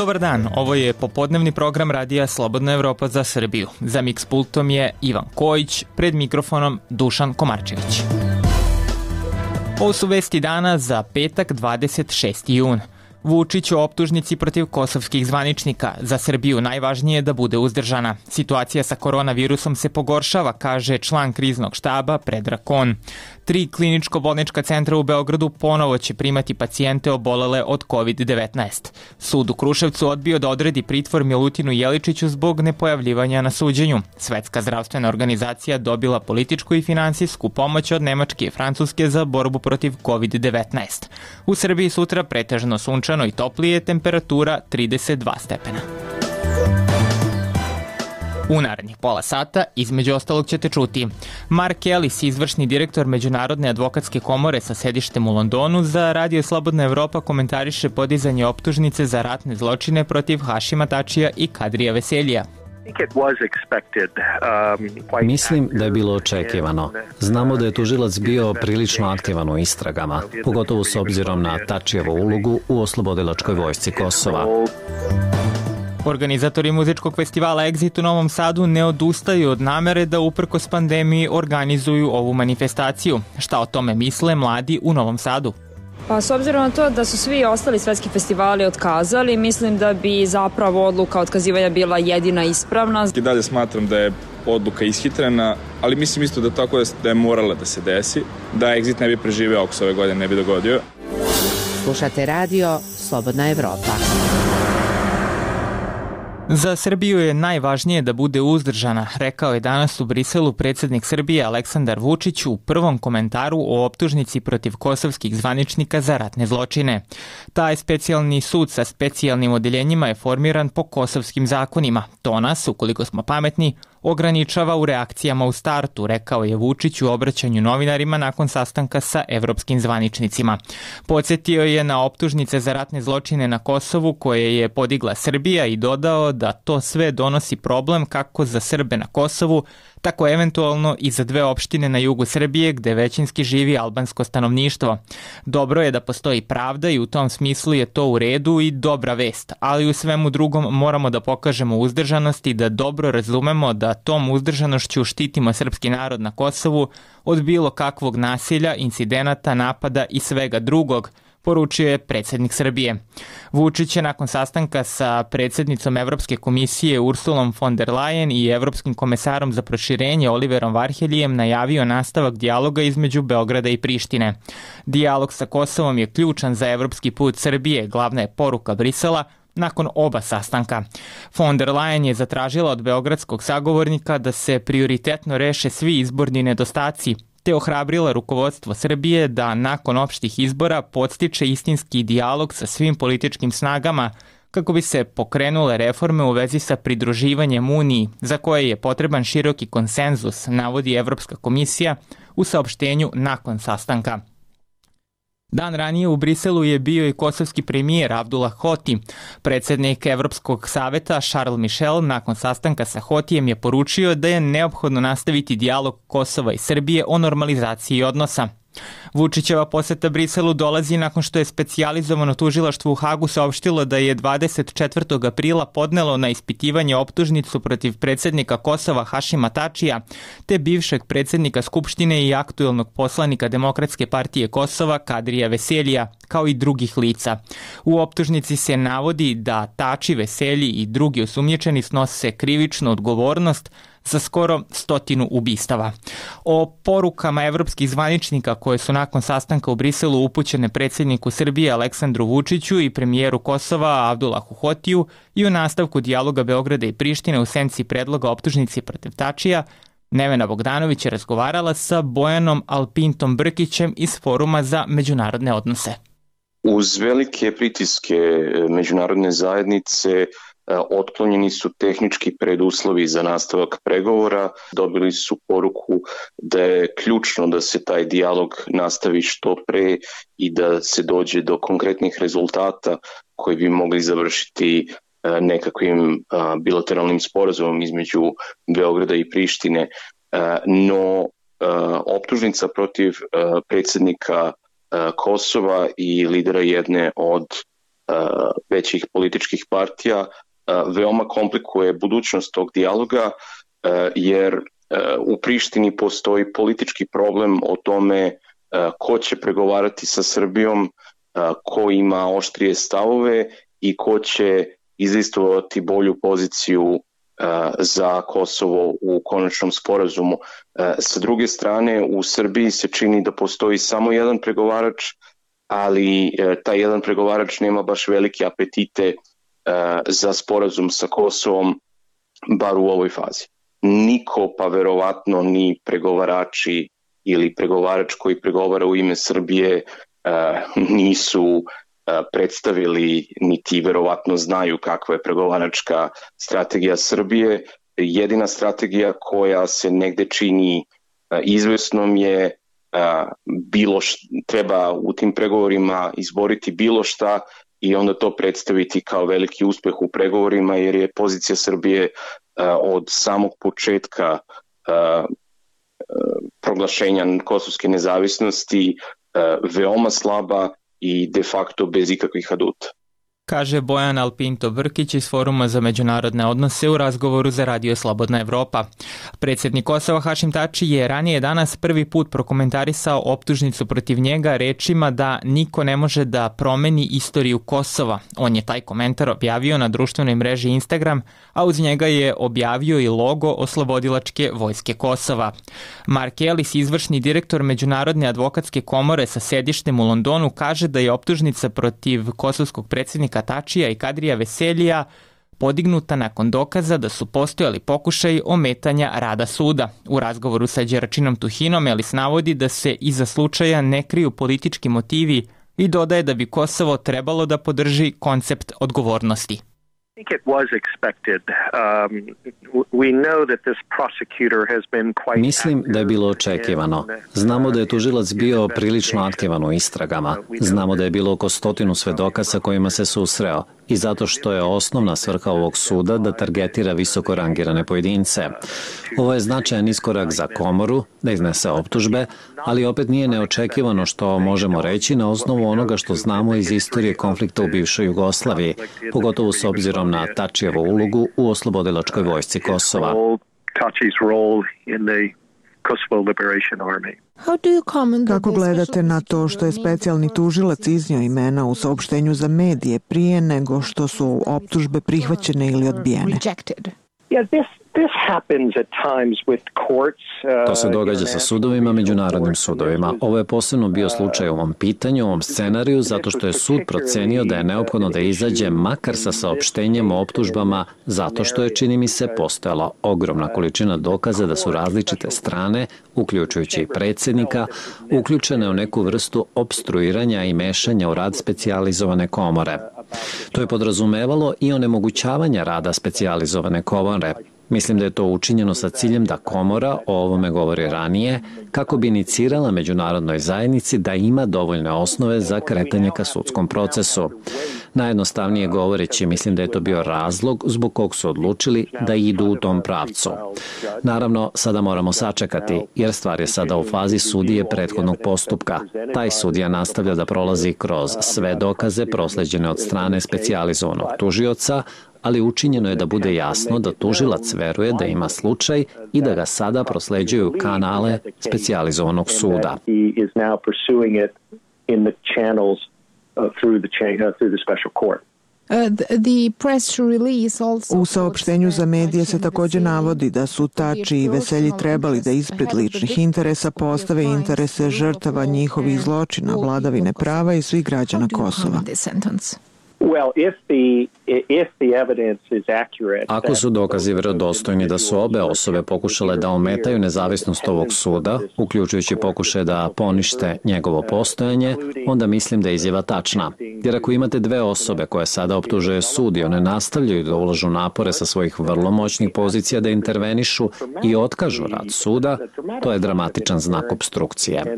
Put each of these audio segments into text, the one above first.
Dobar dan, ovo je popodnevni program radija Slobodna Evropa za Srbiju. Za Mix pultom je Ivan Kojić, pred mikrofonom Dušan Komarčević. Ovo su vesti dana za petak 26. jun. Vučić o optužnici protiv kosovskih zvaničnika. Za Srbiju najvažnije je da bude uzdržana. Situacija sa koronavirusom se pogoršava, kaže član kriznog štaba Predrag Kon. 3 kliničko-bolnička centra u Beogradu ponovo će primati pacijente obolele od COVID-19. Sud u Kruševcu odbio da odredi pritvor Milutinu Jeličiću zbog nepojavljivanja na suđenju. Svetska zdravstvena organizacija dobila političku i finansijsku pomoć od Nemačke i Francuske za borbu protiv COVID-19. U Srbiji sutra pretežno sunčano i toplije, temperatura 32 stepena. U narednih pola sata, između ostalog, ćete čuti: Mark Ellis, izvršni direktor Međunarodne advokatske komore sa sedištem u Londonu, za Radio Slobodna Evropa komentariše podizanje optužnice za ratne zločine protiv Hašima Tačija i Kadrija Veseljija. Mislim da je bilo očekivano. Znamo da je tužilac bio prilično aktivan u istragama, pogotovo s obzirom na Tačijevu ulogu u oslobodilačkoj vojsci Kosova. Organizatori muzičkog festivala Exit u Novom Sadu ne odustaju od namere da uprkos pandemiji organizuju ovu manifestaciju. Šta o tome misle mladi u Novom Sadu? Pa s obzirom na to da su svi ostali svetski festivali otkazali, mislim da bi zapravo odluka otkazivanja bila jedina ispravna. I dalje smatram da je odluka ishitrena, ali mislim isto da tako da je morala da se desi, da Exit ne bi preživeo ako se ove godine ne bi dogodio. Slušate radio Slobodna Evropa. Za Srbiju je najvažnije da bude uzdržana, rekao je danas u Briselu predsjednik Srbije Aleksandar Vučić u prvom komentaru o optužnici protiv kosovskih zvaničnika za ratne zločine. Taj specijalni sud sa specijalnim odeljenjima je formiran po kosovskim zakonima. To nas, ukoliko smo pametni, ograničava u reakcijama u startu, rekao je Vučić u obraćanju novinarima nakon sastanka sa evropskim zvaničnicima. Podsjetio je na optužnice za ratne zločine na Kosovu koje je podigla Srbija i dodao da to sve donosi problem kako za Srbe na Kosovu, tako eventualno i za 2 opštine na jugu Srbije gde većinski živi albansko stanovništvo. Dobro je da postoji pravda i u tom smislu je to u redu i dobra vest, ali u svemu drugom moramo da pokažemo uzdržanost i da dobro razumemo da tom uzdržanošću štitimo srpski narod na Kosovu od bilo kakvog nasilja, incidenata, napada i svega drugog, poručio je predsjednik Srbije. Vučić je nakon sastanka sa predsjednicom Evropske komisije Ursulom von der Leyen i evropskim komesarom za proširenje Oliverom Varheljijem najavio nastavak dijaloga između Beograda i Prištine. Dijalog sa Kosovom je ključan za evropski put Srbije, glavna je poruka Brisela nakon oba sastanka. Von der Leyen je zatražila od beogradskog sagovornika da se prioritetno reše svi izborni nedostaci, te ohrabrila rukovodstvo Srbije da nakon opštih izbora podstiče istinski dijalog sa svim političkim snagama kako bi se pokrenule reforme u vezi sa pridruživanjem Uniji, za koje je potreban široki konsenzus, navodi Evropska komisija u saopštenju nakon sastanka. Dan ranije u Briselu je bio i kosovski premijer Abdullah Hoti. Predsjednik Evropskog saveta Charles Michel nakon sastanka sa Hotijem je poručio da je neophodno nastaviti dijalog Kosova i Srbije o normalizaciji odnosa. Vučićeva poseta Briselu dolazi nakon što je specijalizovano tužilaštvo u Hagu saopštilo da je 24. aprila podnelo na ispitivanje optužnicu protiv predsjednika Kosova Hašima Tačija, te bivšeg predsjednika Skupštine i aktuelnog poslanika Demokratske partije Kosova Kadrija Veseljija, kao i drugih lica. U optužnici se navodi da Tači, Veselji i drugi osumnjičeni snose krivičnu odgovornost za skoro 100 ubistava. O porukama evropskih zvaničnika koje su nakon sastanka u Briselu upućene predsjedniku Srbije Aleksandru Vučiću i premijeru Kosova Abdullahu Hotiju i o nastavku dijaloga Beograda i Prištine u senci predloga optužnici protiv Tačija, Nevena Bogdanović je razgovarala sa Bojanom Alpintom Brkićem iz Foruma za međunarodne odnose. Uz velike pritiske međunarodne zajednice otklonjeni su tehnički preduslovi za nastavak pregovora, dobili su poruku da je ključno da se taj dijalog nastavi što pre i da se dođe do konkretnih rezultata koji bi mogli završiti nekakvim bilateralnim sporazumom između Beograda i Prištine. No, optužnica protiv predsjednika Kosova i lidera jedne od većih političkih partija veoma komplikuje budućnost tog dijaloga, jer u Prištini postoji politički problem o tome ko će pregovarati sa Srbijom, ko ima oštrije stavove i ko će izlistovati bolju poziciju za Kosovo u konačnom sporazumu. Sa druge strane, u Srbiji se čini da postoji samo jedan pregovarač, ali taj jedan pregovarač nema baš velike apetite za sporazum sa Kosovom, bar u ovoj fazi. Niko, pa verovatno ni pregovarači ili pregovarač koji pregovara u ime Srbije nisu predstavili, niti verovatno znaju kakva je pregovaračka strategija Srbije. Jedina strategija koja se negde čini izvesnom je treba u tim pregovorima izboriti bilo šta i onda to predstaviti kao veliki uspeh u pregovorima, jer je pozicija Srbije od samog početka proglašenja kosovske nezavisnosti veoma slaba i de facto bez ikakvih aduta. Kaže Bojan Alpinto Brkić iz Foruma za međunarodne odnose u razgovoru za Radio Slobodna Evropa. Predsjednik Kosova Hašim Tači je ranije danas prvi put prokomentarisao optužnicu protiv njega rečima da niko ne može da promeni istoriju Kosova. On je taj komentar objavio na društvenoj mreži Instagram, a uz njega je objavio i logo Oslobodilačke vojske Kosova. Mark Ellis, izvršni direktor Međunarodne advokatske komore sa sedištem u Londonu, kaže da je optužnica protiv kosovskog predsjednika Tačija i Kadrija Veseljija podignuta nakon dokaza da su postojali pokušaji ometanja rada suda. U razgovoru sa Đeračinom Tuhinom Elis navodi da se iza slučaja ne kriju politički motivi i dodaje da bi Kosovo trebalo da podrži koncept odgovornosti. Mislim da je bilo očekivano. Znamo da je tužilac bio prilično aktivan u istragama. Znamo da je bilo oko 100 svedoka sa kojima se susreo i zato što je osnovna svrha ovog suda da targetira visoko rangirane pojedince. Ovo je značajan iskorak za komoru, da iznese optužbe, ali opet nije neočekivano što možemo reći na osnovu onoga što znamo iz istorije konflikta u bivšoj Jugoslaviji, pogotovo s obzirom na Tačijevu ulogu u Oslobodilačkoj vojsci Kosova. Kako gledate na to što je specijalni tužilac iznio imena u saopštenju za medije prije nego što su optužbe prihvaćene ili odbijene? To se događa sa sudovima, međunarodnim sudovima. Ovo je posebno bio slučaj u ovom pitanju, u ovom scenariju, zato što je sud procenio da je neophodno da izađe makar sa saopštenjem o optužbama, zato što je, čini mi se, postojala ogromna količina dokaza da su različite strane, uključujući i predsjednika, uključene u neku vrstu opstruiranja i mešanja u rad specijalizovane komore. To je podrazumevalo i onemogućavanja rada specijalizovane komore. Mislim da je to učinjeno sa ciljem da komora, o ovome govori ranije, kako bi inicirala međunarodnoj zajednici da ima dovoljne osnove za kretanje ka sudskom procesu. Najjednostavnije govoreći, mislim da je to bio razlog zbog kog su odlučili da idu u tom pravcu. Naravno, sada moramo sačekati, jer stvar je sada u fazi sudije prethodnog postupka. Taj sudija nastavlja da prolazi kroz sve dokaze prosleđene od strane specijalizovanog tužioca, ali učinjeno je da bude jasno da tužilac veruje da ima slučaj i da ga sada prosleđuju kanale specijalizovanog suda. U saopštenju za medije se također navodi da su Tači i Veselji trebali da ispred ličnih interesa postave interese žrtava njihovih zločina, vladavine prava i svih građana Kosova. Ako su dokazi vjerodostojni da su obe osobe pokušale da ometaju nezavisnost ovog suda, uključujući pokušaj da ponište njegovo postojanje, onda mislim da je izjava tačna. Jer ako imate dve osobe koje sada optužuje sud i one nastavljaju da ulažu napore sa svojih vrlo moćnih pozicija da intervenišu i otkažu rad suda, to je dramatičan znak opstrukcije.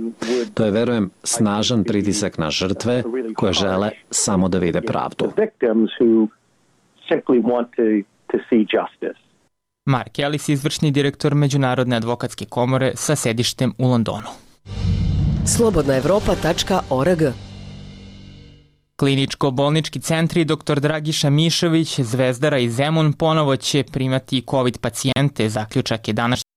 To je, verujem, snažan pritisak na žrtve koje žele samo da vide pravdu. Mark Ellis, izvršni direktor Međunarodne advokatske komore sa sedištem u Londonu. Slobodnaevropa.org Kliničko-bolnički centri dr. Dragiša Mišović, Zvezdara i Zemun ponovo će primati COVID pacijente, zaključak je današnjeg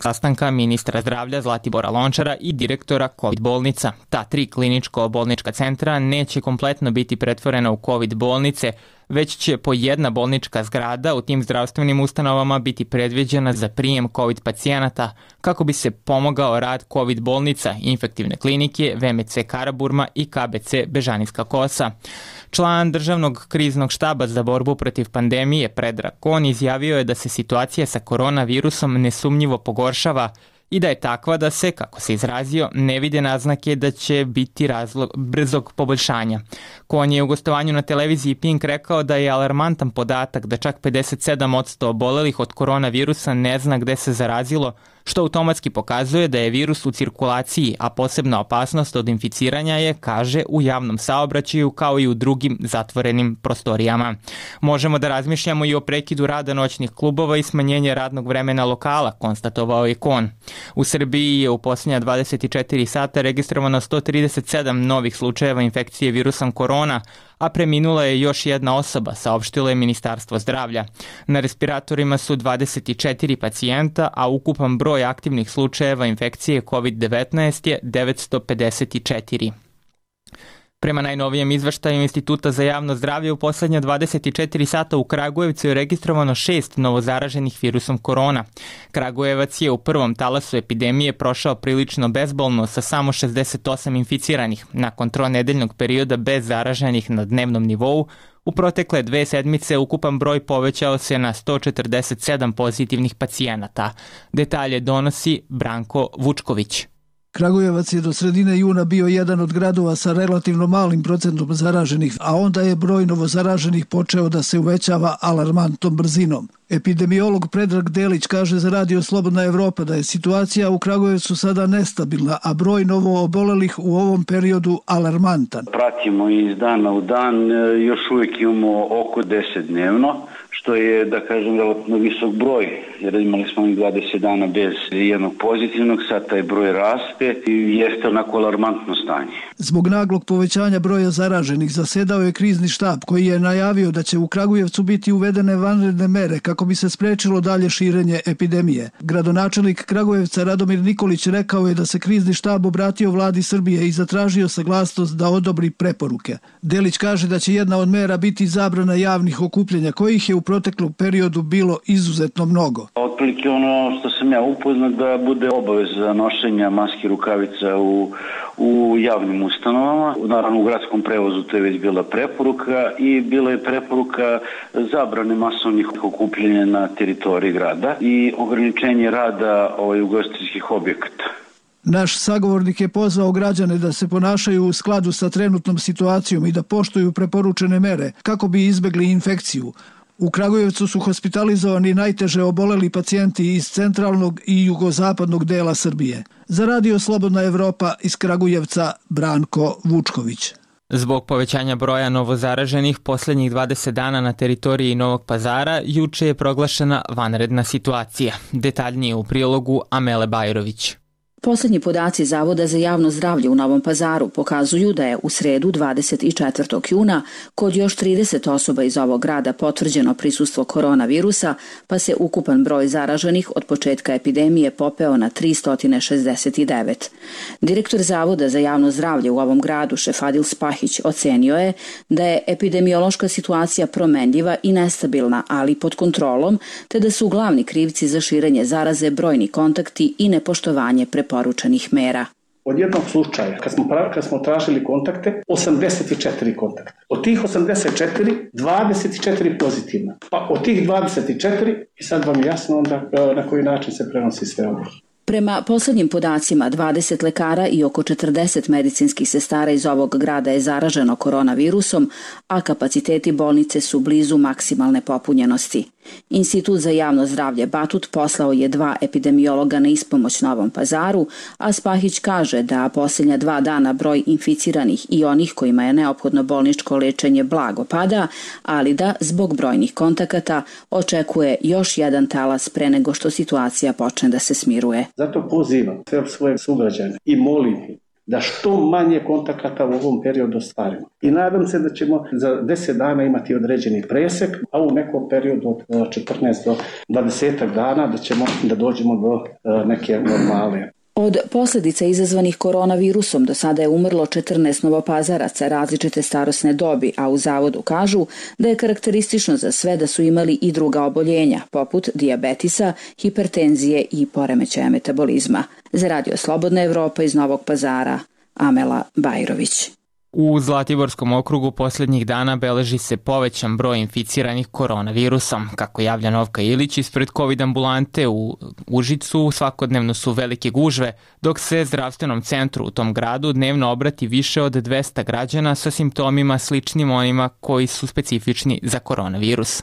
sastanka ministra zdravlja Zlatibora Lončara i direktora COVID bolnica. Ta 3 kliničko-bolnička centra neće kompletno biti pretvorena u COVID bolnice, već će po jedna bolnička zgrada u tim zdravstvenim ustanovama biti predviđena za prijem COVID pacijenata kako bi se pomogao rad COVID bolnica, infektivne klinike, VMC Karaburma i KBC Bežanijska Kosa. Član državnog kriznog štaba za borbu protiv pandemije Predrag Kon izjavio je da se situacija sa koronavirusom nesumnjivo pogoršava i da je takva da se, kako se izrazio, ne vide naznake da će biti razlog brzog poboljšanja. Kon je u gostovanju na televiziji Pink rekao da je alarmantan podatak da čak 57% obolelih od koronavirusa ne zna gde se zarazilo, što automatski pokazuje da je virus u cirkulaciji, a posebna opasnost od inficiranja je, kaže, u javnom saobraćaju kao i u drugim zatvorenim prostorijama. Možemo da razmišljamo i o prekidu rada noćnih klubova i smanjenje radnog vremena lokala, konstatovao je Kon. U Srbiji je u posljednja 24 sata registrovano 137 novih slučajeva infekcije virusom korona, a preminula je još jedna osoba, saopštilo je Ministarstvo zdravlja. Na respiratorima su 24 pacijenta, a ukupan broj aktivnih slučajeva infekcije COVID-19 je 954. Prema najnovijem izveštaju Instituta za javno zdravlje, u poslednja 24 sata u Kragujevcu je registrovano 6 novozaraženih virusom korona. Kragujevac je u prvom talasu epidemije prošao prilično bezbolno sa samo 68 inficiranih. Nakon tronedeljnog perioda bez zaraženih na dnevnom nivou, u protekle 2 sedmice ukupan broj povećao se na 147 pozitivnih pacijenata. Detalje donosi Branko Vučković. Kragujevac je do sredine juna bio jedan od gradova sa relativno malim procentom zaraženih, a onda je broj novozaraženih počeo da se uvećava alarmantnom brzinom. Epidemiolog Predrag Delić kaže za Radio Slobodna Evropa da je situacija u Kragujevcu sada nestabilna, a broj novoobolelih u ovom periodu alarmantan. Pratimo iz dana u dan, još uvijek imamo oko 10 dnevno, što je, da kažem, relativno visok broj, jer imali smo 20 dana bez jednog pozitivnog, sad taj broj raste i jeste onako alarmantno stanje. Zbog naglog povećanja broja zaraženih zasedao je krizni štab koji je najavio da će u Kragujevcu biti uvedene vanredne mere kako bi se sprečilo dalje širenje epidemije. Gradonačelnik Kragujevca Radomir Nikolić rekao je da se krizni štab obratio vladi Srbije i zatražio saglasnost da odobri preporuke. Delić kaže da će jedna od mera biti zabrana javnih okupljanja, kojih je u proteklom periodu bilo izuzetno mnogo. Otprilike ono što sam ja upoznat da bude obaveza nošenja maski, rukavica u javnim ustanovama. Naravno u gradskom prevozu to je već bila preporuka i bila je preporuka zabrane masovnih okupljanja na teritoriji grada i ograničenje rada ugostiteljskih objekata. Naš sagovornik je pozvao građane da se ponašaju u skladu sa trenutnom situacijom i da poštuju preporučene mere kako bi izbegli infekciju. U Kragujevcu su hospitalizovani najteže oboleli pacijenti iz centralnog i jugozapadnog dela Srbije. Za Radio Slobodna Evropa iz Kragujevca Branko Vučković. Zbog povećanja broja novozaraženih poslednjih 20 dana na teritoriji Novog Pazara, juče je proglašena vanredna situacija. Detaljnije u prilogu Amele Bajrović. Poslednji podaci Zavoda za javno zdravlje u Novom Pazaru pokazuju da je u sredu 24. juna kod još 30 osoba iz ovog grada potvrđeno prisustvo koronavirusa, pa se ukupan broj zaraženih od početka epidemije popeo na 369. Direktor Zavoda za javno zdravlje u ovom gradu, Šefadil Spahić, ocenio je da je epidemiološka situacija promenljiva i nestabilna, ali pod kontrolom, te da su glavni krivci za širenje zaraze brojni kontakti i nepoštovanje preporučenih mera. Od jednog slučaja, kad smo tražili kontakte, 84 kontakta. Od tih 84, 24 pozitivna. Pa od tih 24, i sad vam je jasno onda na koji način se prenosi sve ovo. Prema poslednjim podacima, 20 lekara i oko 40 medicinskih sestara iz ovog grada je zaraženo koronavirusom, a kapaciteti bolnice su blizu maksimalne popunjenosti. Institut za javno zdravlje Batut poslao je 2 epidemiologa na ispomoć Novom Pazaru, a Spahić kaže da posljednja 2 dana broj inficiranih i onih kojima je neophodno bolničko lečenje blago pada, ali da zbog brojnih kontakata očekuje još jedan talas pre nego što situacija počne da se smiruje. Zato pozivam sve svoje sugrađane i molim ih da što manje kontakata u ovom periodu ostvarimo. I nadam se da ćemo za 10 dana imati određeni presek, a u nekom periodu od 14 do 20 dana da dođemo do neke normale. Od posljedica izazvanih koronavirusom do sada je umrlo 14 novopazaraca različite starosne dobi, a u zavodu kažu da je karakteristično za sve da su imali i druga oboljenja, poput dijabetisa, hipertenzije i poremećaja metabolizma. Za Radio Slobodna Evropa iz Novog Pazara, Amela Bajrović. U Zlatiborskom okrugu posljednjih dana beleži se povećan broj inficiranih koronavirusom. Kako javlja Novka Ilić ispred COVID ambulante u Užicu, svakodnevno su velike gužve, dok se zdravstvenom centru u tom gradu dnevno obrati više od 200 građana sa simptomima sličnim onima koji su specifični za koronavirus.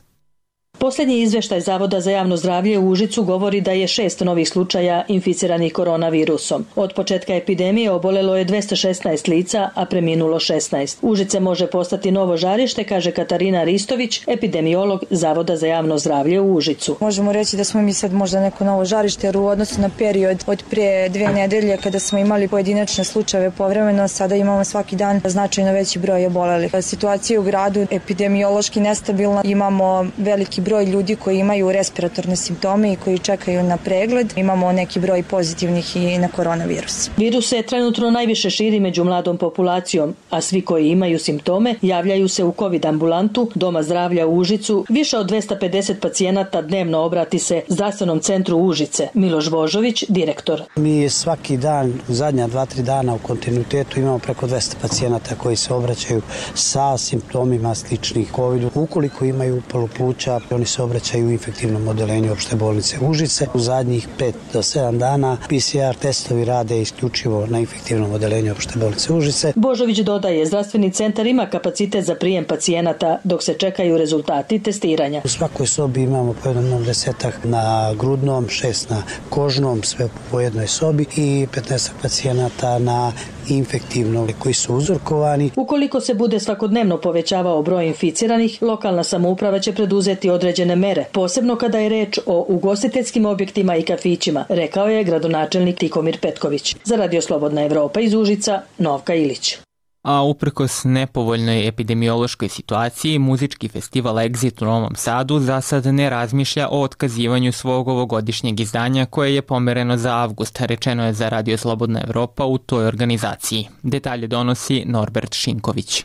Posljednji izvještaj Zavoda za javno zdravlje u Užicu govori da je 6 novih slučaja inficiranih koronavirusom. Od početka epidemije obolelo je 216 lica, a preminulo 16. Užice može postati novo žarište, kaže Katarina Ristović, epidemiolog Zavoda za javno zdravlje u Užicu. Možemo reći da smo mi sad možda neko novo žarište, jer u odnosu na period od prije 2 nedelje kada smo imali pojedinačne slučajeve povremeno, sada imamo svaki dan značajno veći broj obolelih. Situacija u gradu epidemiološki nestabilna, imamo veliki broj ljudi koji imaju respiratorne simptome i koji čekaju na pregled. Imamo neki broj pozitivnih i na koronavirus. Virus se trenutno najviše širi među mladom populacijom, a svi koji imaju simptome javljaju se u COVID ambulantu Doma zdravlja u Užicu. Više od 250 pacijenata dnevno obrati se zdravstvenom centru Užice. Miloš Božović, direktor. Mi svaki dan, zadnja 2-3 dana u kontinuitetu imamo preko 200 pacijenata koji se obraćaju sa simptomima sličnih COVID-u. Ukoliko imaju upalu pluća, oni se obraćaju u infektivnom odeljenju opšte bolnice Užice. U zadnjih 5 do 7 dana PCR testovi rade isključivo na infektivnom odeljenju opšte bolnice Užice. Božović dodaje, zdravstveni centar ima kapacitet za prijem pacijenata dok se čekaju rezultati testiranja. U svakoj sobi imamo po jednom 10 na grudnom, 6 na kožnom, sve po jednoj sobi i 15 pacijenata na infektivnom koji su uzorkovani. Ukoliko se bude svakodnevno povećavao broj inficiranih, lokalna samouprava će preduzeti određene mere, posebno kada je reč o ugostiteljskim objektima i kafićima, rekao je gradonačelnik Tihomir Petković. Za Radio Slobodna Evropa iz Užica, Novka Ilić. A uprkos nepovoljnoj epidemiološkoj situaciji, muzički festival Exit u Novom Sadu za sad ne razmišlja o otkazivanju svog ovogodišnjeg izdanja koje je pomereno za avgust, rečeno je za Radio Slobodna Evropa u toj organizaciji. Detalje donosi Norbert Šinković.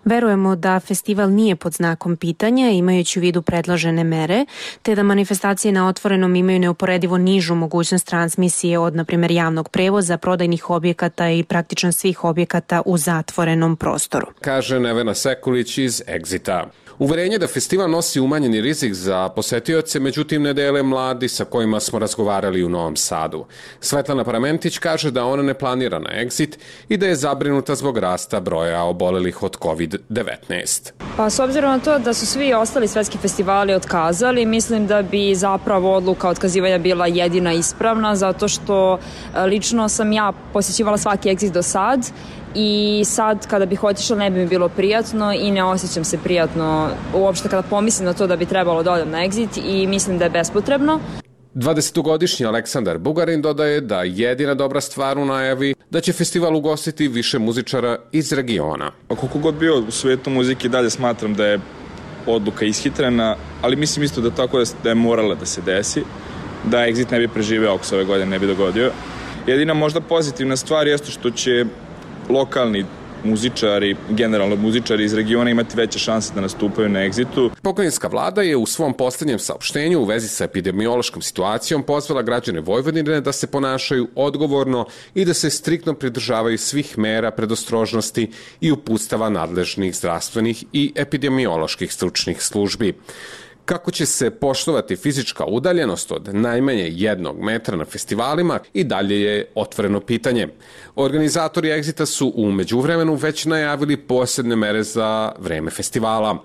Verujemo da festival nije pod znakom pitanja, imajući u vidu predložene mere, te da manifestacije na otvorenom imaju neuporedivo nižu mogućnost transmisije od, na primjer, javnog prevoza, prodajnih objekata i praktično svih objekata u zatvorenom prostoru. Kaže Nevena Sekulić iz Exita. Uverenje da festival nosi umanjeni rizik za posetioce, međutim ne dele mladi sa kojima smo razgovarali u Novom Sadu. Svetlana Paramentić kaže da ona ne planira na Exit i da je zabrinuta zbog rasta broja obolelih od COVID-19. Pa s obzirom na to da su svi ostali svetski festivali otkazali, mislim da bi zapravo odluka otkazivanja bila jedina ispravna, zato što lično sam ja posjećivala svaki Exit do sad i sad kada bih otišla ne bi mi bilo prijatno i ne osjećam se prijatno uopšte kada pomislim na to da bi trebalo da odem na Exit i mislim da je bespotrebno. 20-godišnji Aleksandar Bugarin dodaje da jedina dobra stvar u najavi da će festival ugostiti više muzičara iz regiona. Koliko god bio u svetu muzike, dalje smatram da je odluka ishitrena, ali mislim isto da tako da je morala da se desi, da Exit ne bi preživeo ako se ove godine ne bi dogodio. Jedina možda pozitivna stvar jeste što će lokalni muzičari, generalno muzičari iz regiona imati veće šanse da nastupaju na Exitu. Pokrajinska vlada je u svom posljednjem saopštenju u vezi sa epidemiološkom situacijom pozvala građane Vojvodine da se ponašaju odgovorno i da se striktno pridržavaju svih mera predostrožnosti i uputstava nadležnih zdravstvenih i epidemioloških stručnih službi. Kako će se poštovati fizička udaljenost od najmanje 1 metra na festivalima i dalje je otvoreno pitanje. Organizatori Exita su u međuvremenu već najavili posebne mere za vreme festivala.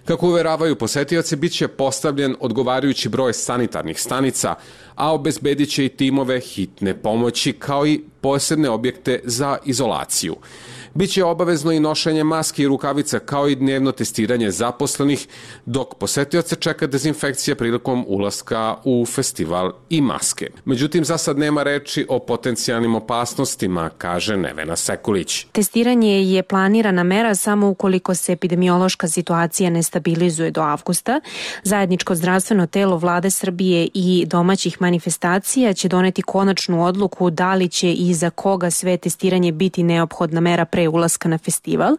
Kako uveravaju posetioci, bit će postavljen odgovarajući broj sanitarnih stanica, a obezbedit će i timove hitne pomoći kao i posebne objekte za izolaciju. Biće obavezno i nošenje maske i rukavica kao i dnevno testiranje zaposlenih, dok posetioce čeka dezinfekcija prilikom ulaska u festival i maske. Međutim, za sad nema reči o potencijalnim opasnostima, kaže Nevena Sekulić. Testiranje je planirana mera samo ukoliko se epidemiološka situacija ne stabilizuje do avgusta. Zajedničko zdravstveno telo Vlade Srbije i domaćih manifestacija će doneti konačnu odluku da li će i za koga sve testiranje biti neophodna mera pre ulaska na festival.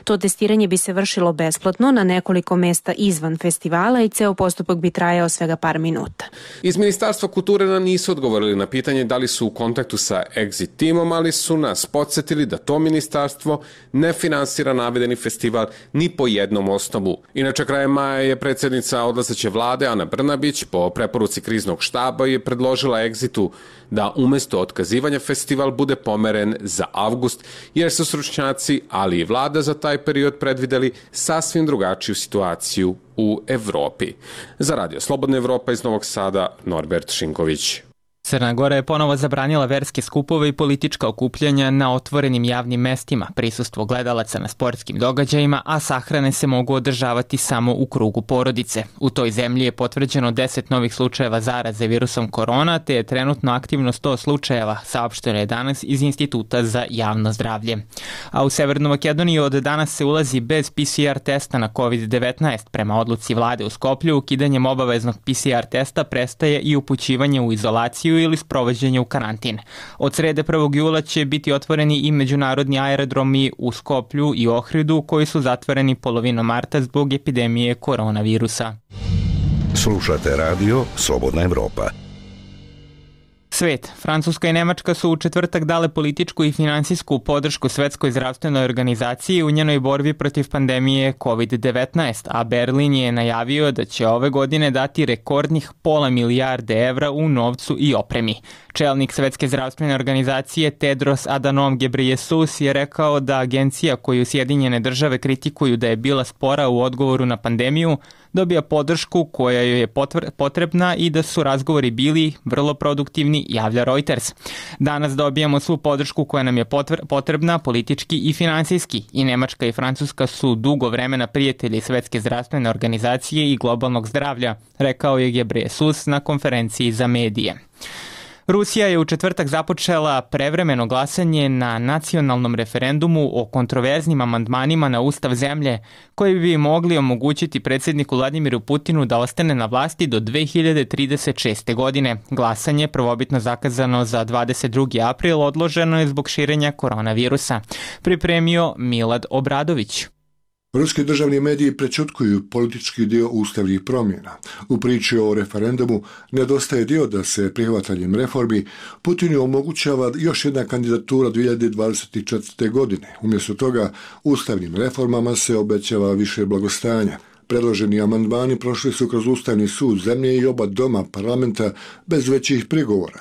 To testiranje bi se vršilo besplatno na nekoliko mesta izvan festivala i ceo postupak bi trajao svega par minuta. Iz Ministarstva kulture nam nisu odgovorili na pitanje da li su u kontaktu sa Exit timom, ali su nas podsjetili da to ministarstvo ne finansira navedeni festival ni po jednom osnovu. Inače, krajem maja je predsjednica odlazeće vlade Ana Brnabić po preporuci kriznog štaba je predložila Exitu da umesto otkazivanja festival bude pomeren za avgust, jer su stručnjaci, ali i vlada za taj period predvideli sasvim drugačiju situaciju u Evropi. Za Radio Slobodna Evropa iz Novog Sada, Norbert Šinković. Crna Gora je ponovo zabranila verske skupove i politička okupljanja na otvorenim javnim mestima, prisustvo gledalaca na sportskim događajima, a sahrane se mogu održavati samo u krugu porodice. U toj zemlji je potvrđeno 10 novih slučajeva zaraze virusom korona, te je trenutno aktivno 100 slučajeva, saopšteno je danas iz Instituta za javno zdravlje. A u Severnu Makedoniju od danas se ulazi bez PCR testa na COVID-19. Prema odluci vlade u Skoplju, ukidanjem obaveznog PCR testa prestaje i upućivanje u izolaciju ili sprovođenje u karantin. Od srede 1. jula će biti otvoreni i međunarodni aerodromi u Skoplju i Ohridu koji su zatvoreni polovinom marta zbog epidemije koronavirusa. Slušate radio Slobodna Evropa. Svet. Francuska i Nemačka su u četvrtak dale političku i finansijsku podršku Svetskoj zdravstvenoj organizaciji u njenoj borbi protiv pandemije COVID-19, a Berlin je najavio da će ove godine dati rekordnih £500 milijarde evra u novcu i opremi. Čelnik Svetske zdravstvene organizacije Tedros Adhanom Ghebreyesus je rekao da agencija koju Sjedinjene države kritikuju da je bila spora u odgovoru na pandemiju dobija podršku koja joj je potrebna i da su razgovori bili vrlo produktivni, javlja Reuters. Danas dobijamo svu podršku koja nam je potrebna politički i finansijski i Nemačka i Francuska su dugo vremena prijatelji Svetske zdravstvene organizacije i globalnog zdravlja, rekao je Ghebreyesus na konferenciji za medije. Rusija je u četvrtak započela prevremeno glasanje na nacionalnom referendumu o kontroverznim amandmanima na ustav zemlje koji bi mogli omogućiti predsjedniku Vladimiru Putinu da ostane na vlasti do 2036. godine. Glasanje, prvobitno zakazano za 22. april, odloženo je zbog širenja koronavirusa. Pripremio Milad Obradović. Ruski državni mediji prečutkuju politički dio ustavnih promjena. U priči o referendumu nedostaje dio da se prihvatanjem reformi Putinu omogućava još jedna kandidatura 2024. godine. Umjesto toga, ustavnim reformama se obećava više blagostanja. Predloženi amandmani prošli su kroz Ustavni sud zemlje i oba doma parlamenta bez većih prigovora.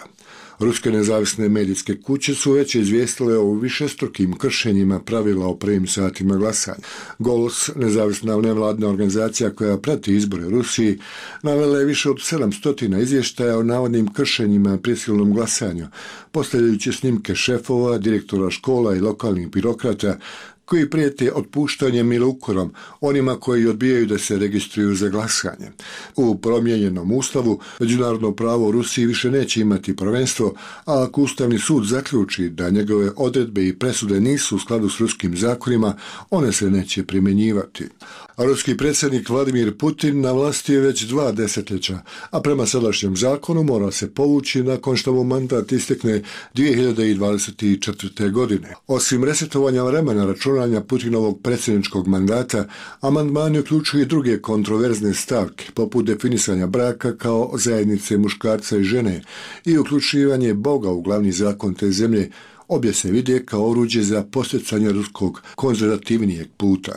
Ruske nezavisne medijske kuće su već izvijestile o višestrukim kršenjima pravila o prvim satima glasanja. Golos, nezavisna nevladna organizacija koja prati izbore u Rusiji, navela je više od 700 izvještaja o navodnim kršenjima prisilnom glasanju, postavljajući snimke šefova, direktora škola i lokalnih birokrata koji prijete otpuštanjem ili ukorom onima koji odbijaju da se registruju za glasanje. U promijenjenom ustavu međunarodno pravo u Rusiji više neće imati prvenstvo, a ako Ustavni sud zaključi da njegove odredbe i presude nisu u skladu s ruskim zakonima, one se neće primjenjivati. A ruski predsjednik Vladimir Putin na vlasti je već 2 desetljeća, a prema sadašnjem zakonu mora se povući nakon što mu mandat istekne 2024. godine. Osim resetovanja vremena računanja Putinovog predsjedničkog mandata, amandmani uključuju i druge kontroverzne stavke, poput definisanja braka kao zajednice muškarca i žene i uključivanje Boga u glavni zakon te zemlje. Obje se vide kao oruđe za postecanje ruskog konzervativnijeg puta.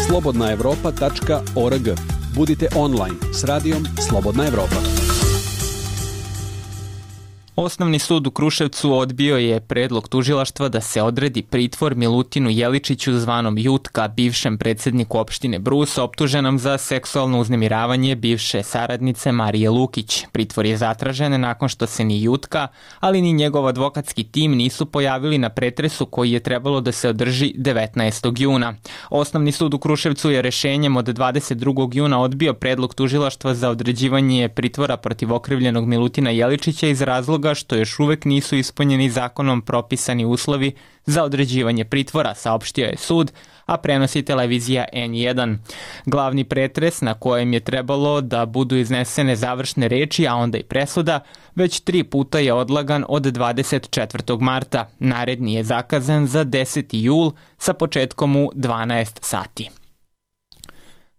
slobodnaevropa.org. Budite online s radijom Slobodna Evropa. Osnovni sud u Kruševcu odbio je predlog tužilaštva da se odredi pritvor Milutinu Jeličiću zvanom Jutka, bivšem predsjedniku opštine Brus, optuženom za seksualno uznemiravanje bivše saradnice Marije Lukić. Pritvor je zatražen nakon što se ni Jutka, ali ni njegov advokatski tim nisu pojavili na pretresu koji je trebalo da se održi 19. juna. Osnovni sud u Kruševcu je rešenjem od 22. juna odbio predlog tužilaštva za određivanje pritvora protiv okrivljenog Milutina Jeličića iz razloga što još uvek nisu ispunjeni zakonom propisani uslovi za određivanje pritvora, saopštio je sud, a prenosi televizija N1. Glavni pretres na kojem je trebalo da budu iznesene završne reči, a onda i presuda, već 3 puta je odlagan od 24. marta. Naredni je zakazan za 10. jul sa početkom u 12 sati.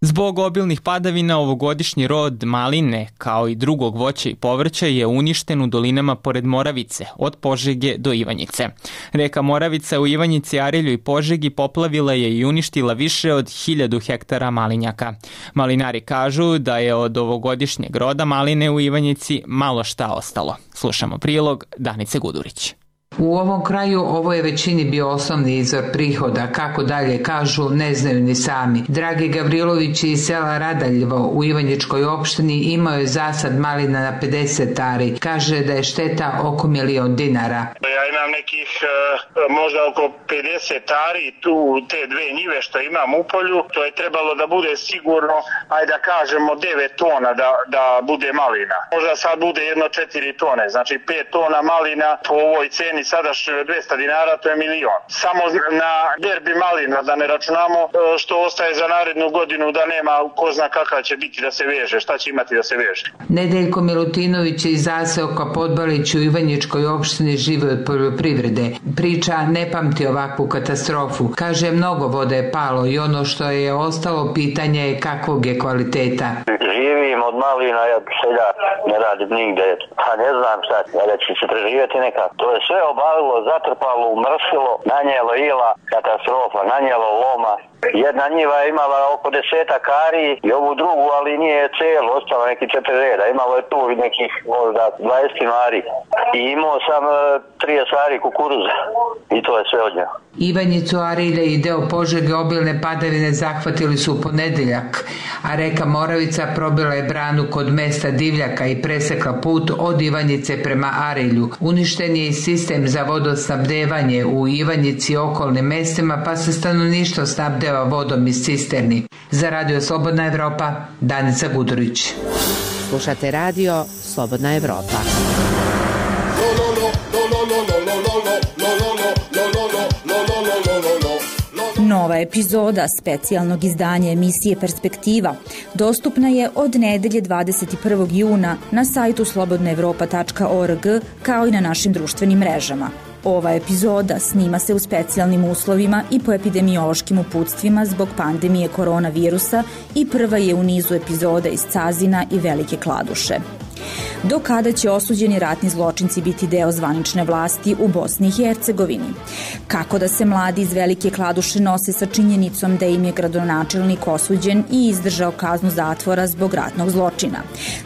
Zbog obilnih padavina ovogodišnji rod maline, kao i drugog voća i povrća, je uništen u dolinama pored Moravice, od Požege do Ivanjice. Reka Moravica u Ivanjici, Arilju i Požegi poplavila je i uništila više od 1000 hektara malinjaka. Malinari kažu da je od ovogodišnjeg roda maline u Ivanjici malo šta ostalo. Slušamo prilog Danice Gudurić. U ovom kraju ovo je većini bio osnovni izvor prihoda, kako dalje kažu ne znaju ni sami. Dragi Gavrilović iz sela Radaljevo u Ivanjičkoj opštini imao je zasad malina na 50 ari. Kaže da je šteta oko 1.000.000 dinara. Ja imam nekih možda oko 50 ari, tu te 2 njive što imam u polju, to je trebalo da bude sigurno, ajde da kažemo 9 tona da bude malina. Možda sad bude jedno 4 tone, znači 5 tona malina po ovoj ceni sada 200 dinara, to je 1.000.000. Samo na berbi malina, da ne računamo što ostaje za narednu godinu, da nema ko zna kakva će biti da se veže, šta će imati da se veže. Nedeljko Milutinović iz zaseoka Podbalić u Ivanjičkoj opštini živi od poljoprivrede. Priča ne pamti ovakvu katastrofu. Kaže, mnogo vode je palo i ono što je ostalo pitanje je kakvog je kvaliteta. Živim od malina, ja seljak, ne radim nigde. Pa ne znam šta, da će se preživjeti neka. To je sve obavilo, zatrpalo, umrsilo, nanijelo ila, katastrofa, nanijelo loma. Jedna njiva je imala oko 10 ari i ovu drugu, ali nije cijelo, ostalo neki 4 reda. Imalo je tu nekih možda 20 ari. I imao sam 30 ari kukuruza i to je sve od nje. Ivanjicu, Arilje i deo Požege obilne padavine zahvatili su u ponedeljak, a reka Moravica probila je branu kod mesta Divljaka i presekla put od Ivanjice prema Arilju. Uništen je i sistem za vodosnabdevanje u Ivanjici i okolnim mestima, pa se stanovništvo snabdeva vodom iz cisterni. Za Radio Slobodna Evropa, Danica Gudurić. Slušate Radio Slobodna Evropa. Nova epizoda specijalnog izdanja emisije Perspektiva dostupna je od nedelje 21. juna na sajtu slobodnaevropa.org kao i na našim društvenim mrežama. Ova epizoda snima se u specijalnim uslovima i po epidemiološkim uputstvima zbog pandemije koronavirusa i prva je u nizu epizoda iz Cazina i Velike Kladuše. Do kada će osuđeni ratni zločinci biti deo zvanične vlasti u Bosni i Hercegovini? Kako da se mladi iz Velike Kladuše nose sa činjenicom da im je gradonačelnik osuđen i izdržao kaznu zatvora zbog ratnog zločina?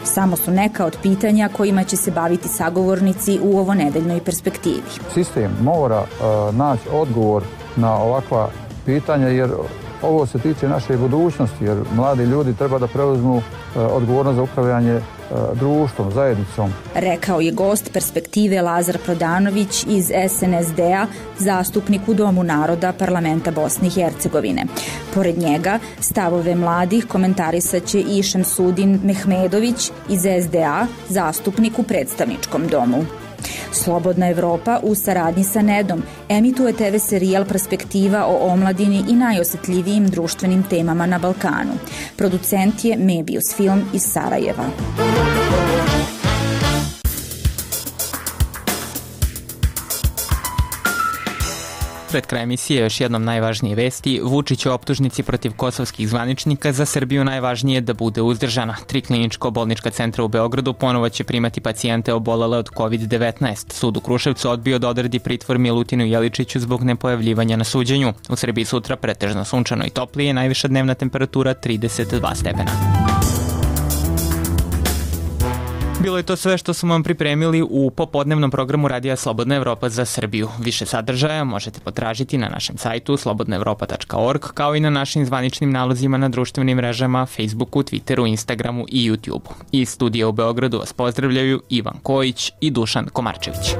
Samo su neka od pitanja kojima će se baviti sagovornici u ovonedeljnoj perspektivi. Sistem mora naći odgovor na ovakva pitanja jer ovo se tiče naše budućnosti jer mladi ljudi treba da preuzmu odgovornost za upravljanje društvom, zajednicom. Rekao je gost Perspektive Lazar Prodanović iz SNSD-a, zastupnik u Domu naroda Parlamenta Bosne i Hercegovine. Pored njega, stavove mladih komentarisat će i Šemsudin Mehmedović iz SDA, zastupnik u predstavničkom domu. Slobodna Evropa u saradnji sa Nedom emituje TV serijal Perspektiva o omladini i najosetljivijim društvenim temama na Balkanu. Producent je Mebius Film iz Sarajeva. Pred kraj emisije još jednom najvažnije vesti. Vučić u optužnici protiv kosovskih zvaničnika, za Srbiju najvažnije da bude uzdržana. 3 kliničko-bolnička centra u Beogradu ponovo će primati pacijente obolele od COVID-19. Sud u Kruševcu odbio da odredi pritvor Milutinu Jeličiću zbog nepojavljivanja na suđenju. U Srbiji sutra pretežno sunčano i toplije, najviša dnevna temperatura 32 stepena. Bilo je to sve što smo vam pripremili u popodnevnom programu Radija Slobodna Evropa za Srbiju. Više sadržaja možete potražiti na našem sajtu slobodnaevropa.org, kao i na našim zvaničnim nalozima na društvenim mrežama Facebooku, Twitteru, Instagramu i YouTubeu. Iz studija u Beogradu vas pozdravljaju Ivan Kojić i Dušan Komarčević.